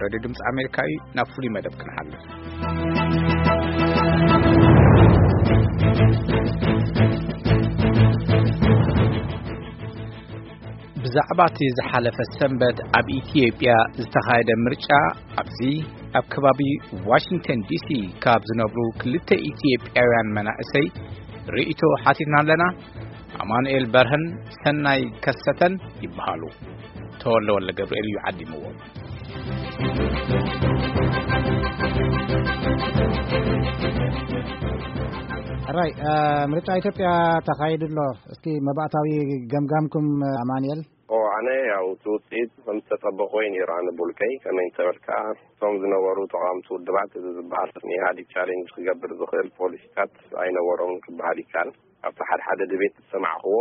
ሬድዮ ድምፂ ኣሜሪካ እዩ። ናብ ፍሉይ መደብ ክንሓልፍ። ብዛዕባ እቲ ዝሓለፈ ሰንበት ኣብ ኢትዮጵያ ዝተኻየደ ምርጫ፣ ኣብዚ ኣብ ከባቢ ዋሽንግተን ዲሲ ካብ ዝነብሩ ክልተ ኢትዮጵያውያን መናእሰይ ርእይቶ ሓቲትና ኣለና። ኣማኑኤል በርሀን ሰናይ ከሰተን ይበሃሉ። ተወልደ ወልደ ገብርኤል እዩ ዓዲምዎ። ሕራይ፣ እ፣ ምርጫ ኢትዮጵያ ተኻይዱ ኣሎ። እስኪ መባእታዊ ገምጋምኩም፣ ኣማኑኤል? ኦ፣ ኣነ ያው እቲ ውፅኢት ከም ዝተጠበቆ እዩ ነይሩ። ኣነ ብውልቀይ ከመይ እንተበልካ፣ እቶም ዝነበሩ ተቃወምቲ ውድባት፣ እዚ ዝበሃል ንኢህኣዴግ ቻሌንጅ ክገብር ዝኽእል ፖሊሲታት ኣይነበሮም ክበሃል ይከኣል። ኣብቲ ሓደ ሓደ ድቤት ዝሰማዕክዎ፣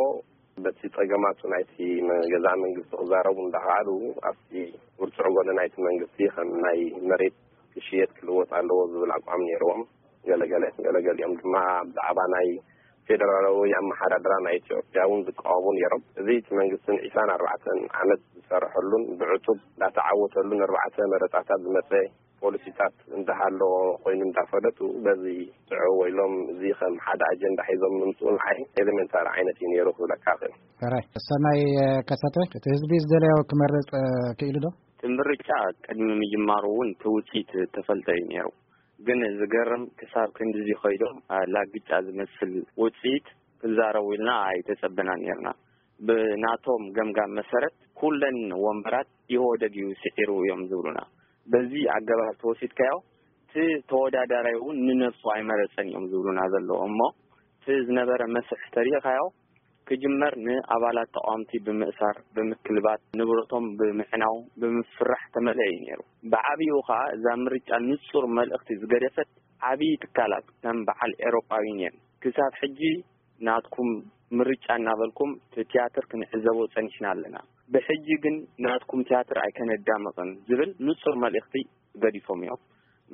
በቲ ጸገማቱ ናይቲ መ-፣ ገዛ መንግስቲ ክዛረቡ እንዳኸኣሉ፣ ኣብቲ ውርጹዕ ጎኒ ናይቲ መንግስቲ ከም ናይ መሬት ክሽየጥ ክልወጥ ኣለዎ ዝብል ኣቋም ነይርዎም። ገለገለ፣ ገለገሊኦም ድማ ብዛዕባ ናይ ፌደራላዊ ኣመሓዳድራ ናይ ኢትዮጵያ እውን ዝቃወሙ ነይሮም። እዚ እቲ መንግስትን ዒስራን ኣርባዕተን ዓመት ዝሰርሐሉን ብዕቱብ እንዳተዓወተሉን ኣርባዕተ መረጻታት ዝመጸ ፖሊሲታት እንዳሃለዎ ኮይኑ እንዳፈለጡ፣ በዚ ጥዑው ኢሎም እዚ ከም ሓደ ኣጀንዳ ሒዞም ምምፅኡ ንዓይ ኤሌመንታሪ ዓይነት እዩ ነይሩ ክብለካ እኽእል። ሕራይ። ሰናይ፣ እ፣ ከሰተ፣ እቲ ህዝቢ ዝደለዮ ክመርጽ፣ እ፣ ክኢሉ ዶ? እቲ ምርጫ ቅድሚ ምጅማሩ እውን እቲ ውፅኢት ተፈልጠ እዩ ነይሩ። ግን ዝገርም ክሳብ ክንድዚ ከይዶም፣ እ፣ ላግጫ ዝመስል ውፅኢት ክዛረቡ ኢልና ኣይተጸበናን ነይርና። ብናቶም ገምጋም መሰረት ኩለን ወንበራት ኢህወደግ እዩ ስዒሩ እዮም ዝብሉና። በዚ ኣገባብ ተወሲድካዮ እቲ ተወዳዳራይ እውን ንነብሱ ኣይመረጸን እዮም ዝብሉና ዘለዉ። እሞ እቲ ዝነበረ መስርሕ ተሪእኻዮ ክጅመር ንኣባላት ተቃወምቲ ብምእሳር፣ ብምክልባት፣ ንብረቶም ብምሕናው፣ ብምፍራሕ ተመልአ እዩ ነይሩ። ብዓብይኡ ኸኣ እዛ ምርጫ ንጹር መልእኽቲ ዝገደፈት ዓብዪ ትካላት ከም በዓል ኤሮጳ ዩኒየን ክሳብ ሕጂ ናትኩም ምርጫ እናበልኩም እቲ ትያትር ክንዕዘቦ ጸኒሕና ኣለና። ብሕጂ ግን ናትኩም ትያትር ኣይከነዳምቕን ዝብል ንጹር መልእኽቲ ገዲፎም እዮም።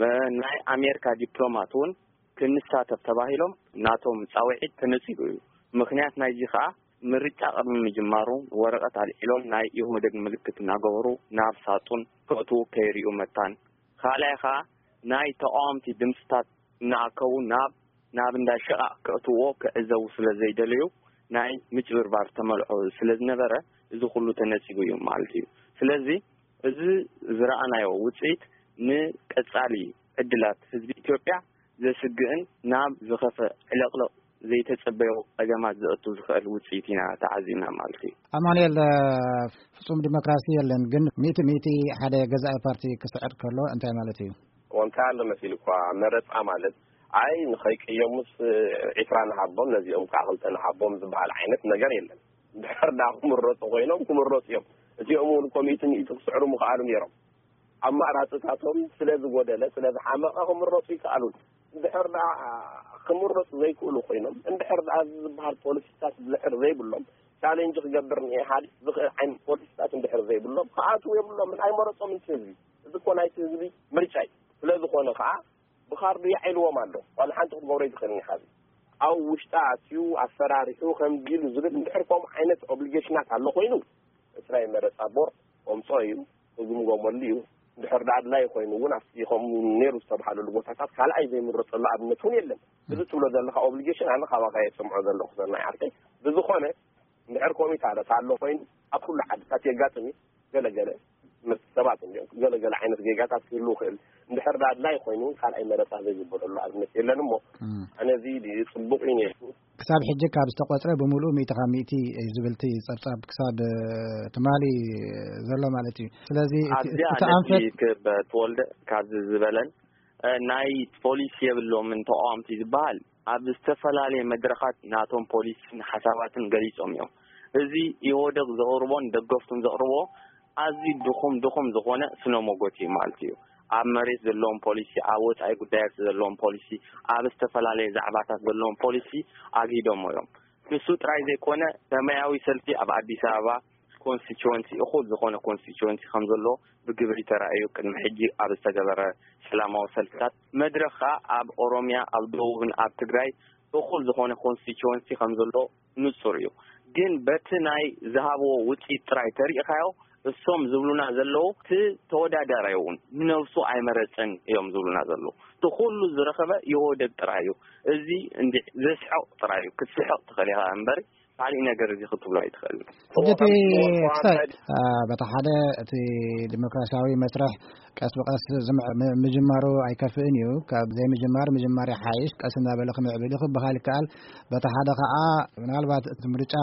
እ፣ ናይ ኣሜሪካ ዲፕሎማት እውን ክንሳተፍ ተባሂሎም ናቶም ጻውዒት ተነጺጉ እዩ። ምኽንያት ናይዚ ኸኣ ምርጫ ቅድሚ ምጅማሩ ወረቐት ኣልዒሎም ናይ ኢህወደግ ምልክት እናገበሩ ናብ ሳጡን ከእትዉ ከይርእዩ መታን። ካልኣይ ኸኣ ናይ ተቃወምቲ ድምፅታት እናኣከቡ ናብ፣ ናብ እንዳ ሸቓቕ ከእትውዎ ክዕዘቡ ስለ ዘይደለዩ ናይ ምጭብርባር ተመልዖ ስለ ዝነበረ እዚ ኩሉ ተነጺጉ እዩ ማለት እዩ። ስለዚ እዚ ዝረኣናዮ ውጽኢት ንቀጻሊ ዕድላት ህዝቢ ኢትዮጵያ ዘስግእን ናብ ዝኸፈ ዕለቕለቕ ዘይተጸበዮ ጸገማት ዘእቱ ዝኽእል ውጽኢት ኢና ተዓዚብና ማለት እዩ። ኣማኑኤል፣ እ፣ ፍጹም ዲሞክራሲ የለን፣ ግን ሚእቲ ሚእቲ ሓደ ገዛኢ ፓርቲ ክስዕር ከሎ እንታይ ማለት እዩ? እንታይ ኣሎ መሲሉ እኳ መረጻ ማለት፣ ኣይ ንኸይቅየሙስ ዒስራ ንሃቦም፣ ነዚኦም ከዓ ክልተ ንሃቦም ዝበሃል ዓይነት ነገር የለን። ድሕር ዳ ክምረጹ ኮይኖም ክምረጹ እዮም። እዚኦም እውን እኮ ሚእቲ ሚእቲ ክስዕሩ ምኽኣሉ ነይሮም። ኣማራጽታቶም ስለ ዝጎደለ፣ ስለ ዝሓመቐ ክምረጹ ይከኣሉን። እንድሕር ደኣ ክምረጹ ዘይክእሉ ኮይኖም፣ እንድሕር ደኣ እዚ ዝበሃል ፖሊሲታት እንድሕር ዘይብሎም፣ ቻሌንጅ ክገብር ንኢህኣዴግ ዝኽእል ዓይነት ፖሊሲታት እንድሕር ዘይብሎም፣ ክኣትዉ የብሎምን፣ ኣይመረጾምን እቲ ህዝቢ። እዚ እኮ ናይቲ ህዝቢ ምርጫ እዩ። ስለ ዝኾነ ከኣ ብኻርዱ የዓይልዎም ኣሎ። ዋላ ሓንቲ ክትገብሮ ኣይትኽእልን ኢኻ። እዚ ኣብ ውሽጣ ኣትዩ ኣፈራሪሑ ከምዚ ኢሉ ዝብል እንድሕር ከምኡ ዓይነት ኦብሊጌሽናት ኣሎ ኮይኑ፣ እቲ ናይ መረጻ ቦርድ ከምጾ እዩ፣ ክግምገመሉ እዩ። እንድሕር ደኣ ኣድላዪ ኮይኑ እውን ኣብቲ ከምኡ ነይሩ ዝተባሃለሉ ቦታታት ካልኣይ ዘይምረጸሉ ኣብነት እውን የለን። እዚ ትብሎ ዘለኻ ኦብሊጌሽን ኣነ ካባኻ እየ ዝሰምዖ ዘለኹ ሰናይ ዓርከይ። ብዝኾነ እንድሕር ኮሚታ ኣለ ኣሎ ኮይኑ ኣብ ኩሉ ዓድታት የጋጥም እዩ። ገለገለ ምስ ሰባት እንዲኦም ገለገለ ዓይነት ጌጋታት ክህሉ ይኽእል። እንድሕር ደኣ ኣድላዪ ኮይኑ እውን ካልኣይ መረጻ ዘይግበረሉ ኣብነት የለን እሞ እም። ኣነ እዚ ጽቡቕ እዩ ነይሩ። ክሳብ ሕጂ ካብ ዝተቖጽረ ብምሉኡ ሚእቲ ካብ ሚእቲ እዩ ዝብል እቲ ጸብጻብ ክሳብ፣ እ፣ ትማሊ ዘሎ ማለት እዩ። ስለዚ እቲ፣ ኣብዚኣ እቲ ነቲ ኣንፈት ክብ ተወልደ ካብዚ ዝበለን፣ እ፣ ናይ ፖሊሲ የብሎምን ተቃወምቲ ዝበሃል ኣብ ዝተፈላለየ መድረኻት ናቶም ፖሊሲን ሓሳባትን ገሊጾም እዮም። እዚ ኢህወደግ ዘቕርቦን ደገፍቱን ዘቕርቦ ኣዝዩ ድኹም፣ ድኹም ዝኾነ ስነ ሞጎት እዩ ማለት እዩ። ኣብ መሬት ዘለዎም ፖሊሲ፣ ኣብ ወጻኢ ጉዳያት ዘለዎም ፖሊሲ፣ ኣብ ዝተፈላለየ ዛዕባታት ዘለዎም ፖሊሲ ኣግሂዶሞ እዮም። ንሱ ጥራይ ዘይኮነ፣ ሰማያዊ ሰልፊ ኣብ ኣዲስ ኣበባ ኮንስቲትወንሲ፣ እኹል ዝኾነ ኮንስቲትወንሲ ከም ዘሎ ብግብሪ ተራእዩ። ቅድሚ ሕጂ ኣብ ዝተገበረ ሰላማዊ ሰልፍታት፣ መድረኽ ከኣ ኣብ ኦሮምያ፣ ኣብ ደቡብን ኣብ ትግራይ እኹል ዝኾነ ኮንስቲትወንሲ ከም ዘሎ ንጹር እዩ። ግን በቲ ናይ ዝሃብዎ ውጽኢት ጥራይ ተሪእኻዮ፣ እሶም ዝብሉና ዘለዉ፣ እቲ ተወዳዳራይ እውን ንነብሱ ኣይመረጸን እዮም ዝብሉና ዘለዉ። እቲ ኩሉ ዝረኸበ ይወደድ ጥራይ እዩ። እዚ እንዲ ዘስሕቕ ጥራይ እዩ፣ ክትስሕቕ ትኽእል ኢኻ እምበር፣ ካልእ ነገር እዚ ክትብሎ ኣይትኽእልን። ሕጂ እቲ ክሳይ በታ ሓደ እቲ ዲሞክራሲያዊ መስርሕ ቀስ ብቐስ ዝምዕ- ም- ምጅማሩ ኣይከፍእን እዩ። ካብ ዘይምጅማር ምጅማር ይሓይሽ። ቀስ እናበለ ክምዕብል እዩ ክበሃል ይከኣል። በታ ሓደ ከዓ ምናልባት እቲ ምርጫ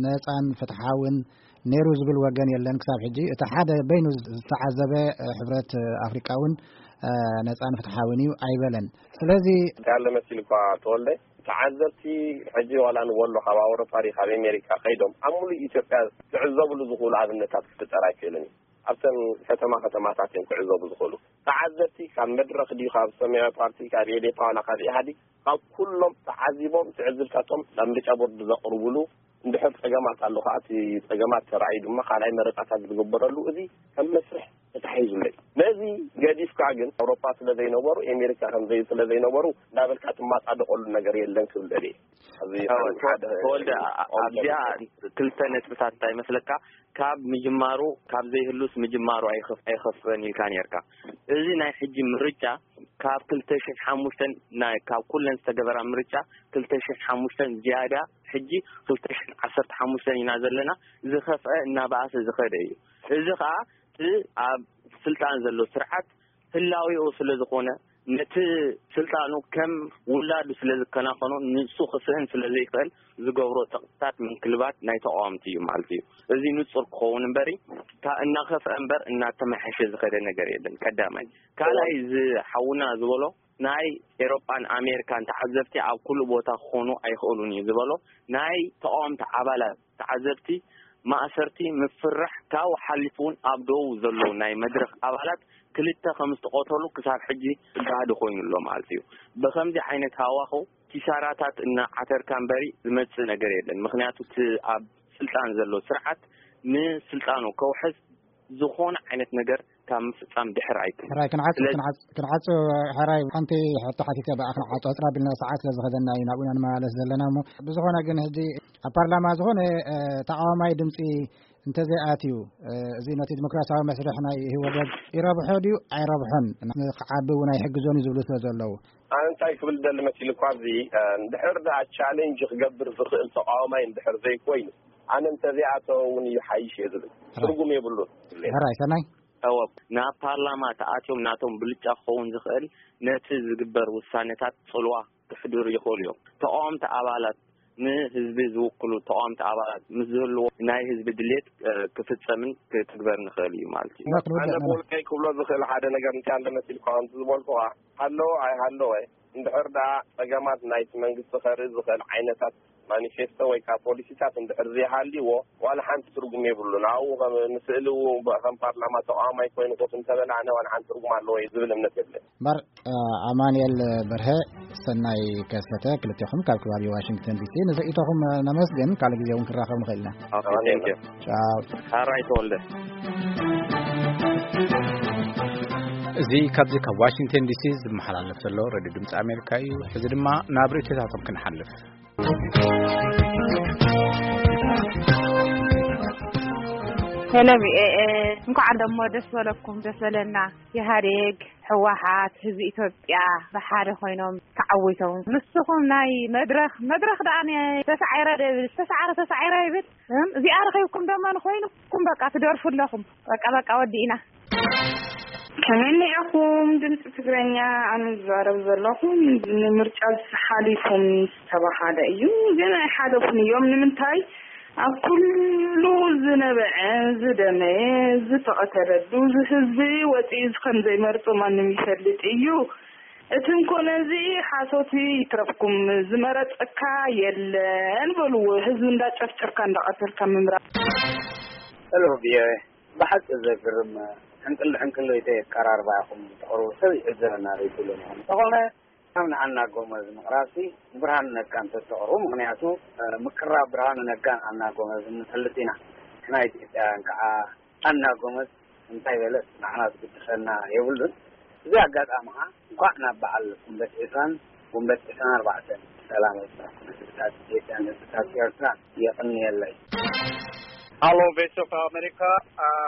ነፃን ፍትሓውን ነይሩ ዝብል ወገን የለን ክሳብ ሕጂ። እቲ ሓደ በይኑ ዝተዓዘበ ሕብረት ኣፍሪቃ እውን ነፃን ፍትሓውን እዩ ኣይበለን። ስለዚ ያለ መሲል እኳ ተወልደ ተዓዘብቲ ሕጂ ዋላ ንወሎ ካብ ኣውሮፓ ድዩ ካብ ኣሜሪካ ከይዶም ኣብ ሙሉእ ኢትዮጵያ ክዕዘብሉ ዝኽእሉ ኣብነታት ክፍጠር ኣይክእልን እዩ። ኣብተን ከተማ ከተማታት እዮም ክዕዘቡ ዝኽእሉ። ተዓዘብቲ ካብ መድረኽ ድዩ ካብ ሰማያዊ ፓርቲ ካብ ኤዴፓ ዋላ ካብ ኢህኣዴግ ካብ ኩሎም ተዓዚቦም ትዕዝብታቶም ናብ ምርጫ ቦርድ ዘቕርቡሉ እንድሕር ጸገማት ኣሎ ከዓ እቲ ጸገማት ተራእዩ ድማ ካልኣይ መረጻታት ዝግበረሉ እዚ ከም መስርሕ ተታሒዙለይ። ነዚ ገዲፍካ ግን ኣውሮፓ ስለ ዘይነበሩ ኤሜሪካ ከምዘይ ስለ ዘይነበሩ እንዳበልካ ትማጻደቐሉ ነገር የለን ክብል ደልየ። ኣብዚ ተወልደ ኣብዚኣ ክልተ ነጥብታት እንታይ ይመስለካ? ካብ ምጅማሩ ካብ ዘይህሉስ ምጅማሩ ኣይኸፍእን ኢልካ ነርካ። እዚ ናይ ሕጂ ምርጫ ካብ ክልተ ሽሕ ሓሙሽተ ካብ ኩለን ዝተገበራ ምርጫ ክልተ ሽሕ ሓሙሽተ ዝያዳ ሕጂ ክልተ ሽሕ ዓሰርተ ሓሙሽተ ኢና ዘለና። ዝኸፍአ እናበኣሰ ዝኸደ እዩ። እዚ ከዓ እቲ ኣብ ስልጣን ዘሎ ስርዓት ህላዊኡ ስለ ዝኾነ ነቲ ስልጣኑ ከም ውላዱ ስለ ዝከናኸኖ ንሱ ክስእን ስለ ዘይክእል ዝገብሮ ጸቕጥታት ምንክልባት ናይ ተቃወምቲ እዩ ማለት እዩ። እዚ ንጹር ክኸውን እምበሪ እናኸፍአ እምበር እናተመሓሸ ዝኸደ ነገር የለን። ቀዳማይ ካልኣይ ዝሓውና ዝበሎ ናይ ኤሮጳን ኣሜሪካን ተዓዘብቲ ኣብ ኩሉ ቦታ ክኾኑ ኣይኽእሉን እዩ ዝበሎ ናይ ተቃወምቲ ኣባላት ተዓዘብቲ ማእሰርቲ ምፍራሕ ካብኡ ሓሊፉ እውን ኣብ ደቡብ ዘለዉ ናይ መድረኽ ኣባላት ክልተ ከም ዝተቐተሉ ክሳብ ሕጂ ጋህዲ ኮይኑ ኣሎ ማለት እዩ። ብከምዚ ዓይነት ሃዋኸው ኪሳራታት እናዓተርካ እምበሪ ዝመጽእ ነገር የለን። ምክንያቱ እቲ ኣብ ስልጣን ዘሎ ስርዓት ንስልጣኑ ከውሕስ ዝኾነ ዓይነት ነገር ካብ ምፍጻም ድሕር ኣይብል። ሕራይ ክንዓጽ ስለዚ ክንዓጽ ክንዓጽ ሕራይ ሓንቲ ሕቶ ሓቲተ ብኣ ክንዓጽ ዕጽራ ቢልና ሰዓት ስለ ዝኸደና እዩ ናብኡ ኢና ንመላለስ ዘለና እሞ ብዝኾነ ግን ሕጂ ኣብ ፓርላማ ዝኾነ ተቃዋማይ ድምፂ እንተዘይኣትዩ እዚ ነቲ ዲሞክራሲያዊ መስርሕ ናይ ህወደግ ይረብሖ ድዩ ኣይረብሖን ክዓቢ እውን ኣይሕግዞን እዩ ዝብሉ ስለ ዘለዉ ኣነ እንታይ ክብል ደሊ መሲሉ እኳ ኣብዚ እንድሕር ደኣ ቻሌንጅ ክገብር ዝኽእል ተቃዋማይ እንድሕር ዘይኮይኑ ኣነ እንተዘይኣተወ እውን እዩ ሓይሽ እየ ዝብል ትርጉም የብሉን ሕራይ ሰናይ እወ ናብ ፓርላማ ተኣትዮም ናቶም ብልጫ ክኸውን ዝኽእል ነቲ ዝግበር ውሳነታት ጽልዋ ክሕድሩ ይኽእሉ እዮም። ተቃወምቲ ኣባላት ንህዝቢ ዝውክሉ ተቃወምቲ ኣባላት ምስ ዝህልዎ ናይ ህዝቢ ድሌት ክፍጸምን ክትግበር ንኽእል እዩ ማለት እዩ። ኣነ ብወልቀይ ክብሎ ዝኽእል ሓደ ነገር እንታይ ኣሎ መሲልካ ከምቲ ዝበልኩኻ ሃለወ ኣይሃለወ እንድሕር ደኣ ጸገማት ናይቲ መንግስቲ ከርኢ ዝኽእል ዓይነታት ማኒፌስቶ ወይ ከዓ ፖሊሲታት እንድሕር ዘይሃልይዎ ዋላ ሓንቲ ትርጉም የብሉን። ኣብኡ ከም ንስእሊ እውን ከም ፓርላማ ተቃዋማይ ኮይኑ ኮፍ እንተበለ ኣነ ዋላ ሓንቲ ትርጉም ኣለዎ እዩ ዝብል እምነት የብለይ። እምበር ኣማንኤል በርሀ ሰናይ ከሰተ ክልቴኹም ካብ ከባቢ ዋሽንግተን ዲሲ ንርእይቶኹም ነመስግን። ካልእ ግዜ እውን ክራኸብ ንኽእል ኢና። ኦኬ፣ ቴንክ ዩ። ቻው። ሓራይ ተወልደ። እዚ ካብዚ ካብ ዋሽንግተን ዲሲ ዝመሓላለፍ ዘሎ ሬድዮ ድምፂ ኣሜሪካ እዩ። ሕዚ ድማ ናብ ርእይቶታቶም ክንሓልፍ። ሄሎ ቪኦኤ፣ እንኳዕ ደሞ ደስ በለኩም ደስ በለና። ኢህኣዴግ፣ ህወሓት፣ ህዝቢ ኢትዮጵያ ብሓደ ኮይኖም ተዓዊቶም። ንስኹም ናይ መድረኽ መድረኽ ደኣ ተሳዒረ ዶ ይብል፣ ዝተሳዕረ ተሳዒረ ይብል። እም፣ እዚኣ ረኺብኩም ደሞ ንኮይኑኩም በቃ ትደርፉ ኣለኹም። በቃ በቃ ወዲእና። ከመይ እኒኣኹም ድምፂ ትግረኛ? ኣነ ዝዛረብ ዘለኹ ንምርጫ ሓሊፉ ምስ ዝተባሃለ እዩ፣ ግን ኣይሓለፉን እዮም። ንምንታይ? ኣብ ኩሉ ዝነበዐ፣ ዝደመየ፣ ዝተቐተለሉ፣ እዚ ህዝቢ ወፂኡ ከም ዘይመርፁ ማንም ይፈልጥ እዩ። እቲ እንኮ ነዚ ሓሶት ይትረፍኩም፣ ዝመረፀካ የለን በልዎ። ህዝቢ እንዳጨፍጨፍካ እንዳቐተልካ ምምራፅ። ሄሎ ቪኦኤ፣ ብሓቂ ዘግርም ሕንቅል ሕንቅል ዘይተይ ኣቀራርባ ኢኹም ተቕርቡ፣ ሰብ ይዕዘበና ዘይብሉን ኢኹም። እንተኾነ ኣብ ንኣና ጎመዝ ምቕራብሲ ንብርሃኑ ነጋ እንተተቕርቡ፣ ምኽንያቱ ምቅራብ ብርሃኑ ነጋን ኣና ጎመዝ ንፈልጥ ኢና። ንሕና ኢትዮጵያውያን ከዓ ኣና ጎመዝ እንታይ በለት ንዓና ዝግድሰና የብሉን። እዚ ኣጋጣሚ ከዓ እንኳዕ ናብ በዓል ጉንበት ዒስራን ጉንበት ዒስራን ኣርባዕተን ብሰላም ኣብፀሐኩም ህዝብታት ኢትዮጵያን ህዝብታት ኤርትራን። የቕንየለይ። ሃሎ፣ ቮይስ ኦፍ ኣሜሪካ።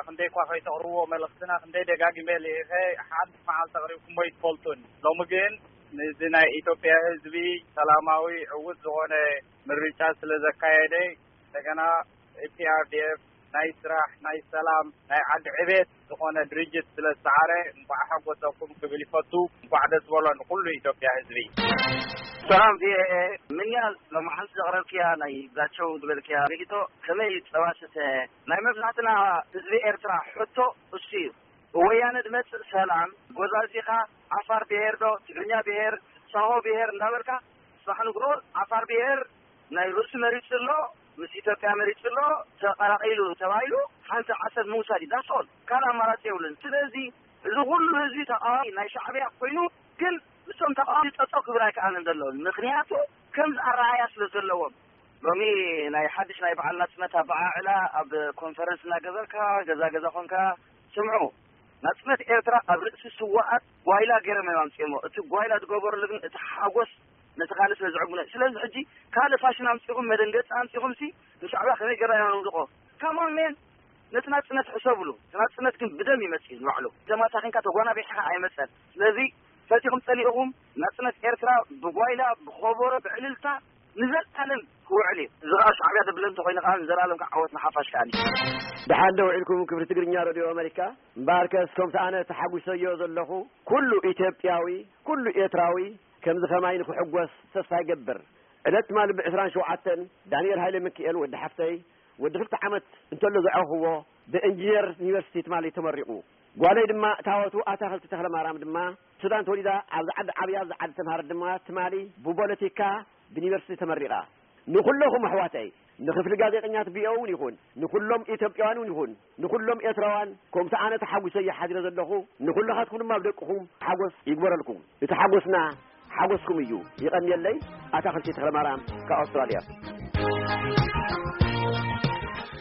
ክንደይ እኳ ከይተቕርብዎ መልእኽትና፣ ክንደይ ደጋጊመ ልኢኸ፣ ሓንቲ መዓልቲ ኣቕሪብኩሞ ኣይትፈልጡን። ሎሚ ግን ነዚ ናይ ኢትዮጵያ ህዝቢ ሰላማዊ ዕዉት ዝኾነ ምርጫ ስለ ዘካየደ፣ እንደገና ፒኣርዲኤፍ ናይ ስራሕ፣ ናይ ሰላም፣ ናይ ዓዲ ዕቤት ዝኾነ ድርጅት ስለ ዝሰዓረ፣ እንኳዕ ሓጎሰኩም ክብል ይፈቱ። እንኳዕ ደስ በሎ ንኩሉ ኢትዮጵያ ህዝቢ። ሰላም ቪኦኤ፣ ምንያ ሎማዓንቲ ዘቕረብክያ ናይ ዛቸው ዝበልክያ ርእይቶ ከመይ እዩ ጸባስተ? ናይ መብዛሕትና ህዝቢ ኤርትራ ሕቶ እሱ እዩ። ወያነ ድመጽእ ሰላም፣ ጎዛዚኻ፣ ዓፋር ብሄር ዶ፣ ትግርኛ ብሄር፣ ሳሆ ብሄር እንዳበልካ፣ ጽባሕ ንግሆ ዓፋር ብሄር ናይ ርእሱ መሪጹ ኣሎ፣ ምስ ኢትዮጵያ መሪጹ ኣሎ፣ ተቐላቒሉ ተባሂሉ ሓንቲ ዓሰብ ምውሳድ እዩ። ዳስኦል ካልእ ኣማራጺ የብሉን። ስለዚ እዚ ኩሉ ህዝቢ ተቃዋሚ ናይ ሻዕብያ ኮይኑ፣ ግን ምስቶም ተቃዋሚ ጠጠው ክብል ኣይከኣልን ዘሎ። ምኽንያቱ ከምዚ ኣረኣያ ስለ ዘለዎም። ሎሚ ናይ ሓድሽ ናይ በዓል ናጽነት ኣበዓዕላ ኣብ ኮንፈረንስ እናገበርካ፣ ገዛ ገዛ ኮንካ፣ ስምዑ፣ ናጽነት ኤርትራ ኣብ ርእሲ ስዋኣት ጓይላ ገይሮም እዮም ኣምጺኦሞ። እቲ ጓይላ ዝገበሩሉ ግን እቲ ሓጎስ ነቲ ካልእ ስለ ዝዕግብኖ። ስለዚ ሕጂ ካልእ ፋሽን ኣምጺኹም፣ መደንገጺ ኣምጺኹም ሲ ንሻዕብያ ከመይ ገይርና ኢና ነውድቆ? ካሞን ሜን፣ ነቲ ናጽነት ሕሰብሉ። እቲ ናጽነት ግን ብደም ይመጽእ እዩ ንባዕሉ። ተማሳኺንካ ተጓናቢሕኻ ኣይመጸን። ስለዚ ፈቲኹም ጸሊእኹም ናጽነት ኤርትራ ብጓይላ፣ ብኸበሮ፣ ብዕልልታ ንዘለኣለም ክውዕል እዩ። እዚ ኸኣ ሻዕብያ ዘብለ እንተኾይኑ ኸኣ ንዘለኣለም ከዓ ዓወት ንሓፋሽ ከኣ እዩ። ደሓን ዶ ውዒልኩም ክብሪ ትግርኛ ሬድዮ ኣመሪካ? እምበኣርከስ ከምቲ ኣነ ተሓጒሰዮ ዘለኹ ኩሉ ኢትዮጵያዊ፣ ኩሉ ኤርትራዊ ከምዚ ኸማይ ንክሕጎስ ተስፋ ይገብር። ዕለት ትማሊ ብዕስራን ሸውዓተን ዳንኤል ሃይለ ሚካኤል ወዲ ሓፍተይ ወዲ ክልተ ዓመት እንተሎ ዘዕረኽዎ ብእንጂነር ዩኒቨርሲቲ ትማሊ ተመሪቑ። ጓለይ ድማ እታወቱ ኣታኽልቲ ተኽለማርያም ድማ ሱዳን ተወሊዳ ኣብዚ ዓዲ ዓብያ ኣብዚ ዓዲ ተምሃረት ድማ ትማሊ ብፖለቲካ ብዩኒቨርሲቲ ተመሪቓ። ንኹለኹም ኣሕዋተይ፣ ንክፍሊ ጋዜጠኛት ቪኦኤ እውን ይኹን፣ ንኹሎም ኢትዮጵያውያን እውን ይኹን፣ ንኹሎም ኤርትራውያን፣ ከምቲ ኣነ ተሓጒሰ እየ ሓዲረ ዘለኹ፣ ንኹልኻትኩም ድማ ብደቅኹም ሓጎስ ይግበረልኩም። እቲ ሓጎስና ሓጎስኩም እዩ። ይቐንየለይ። ኣታኽልቲ ተኽለማርያም ካብ ኣውስትራልያ።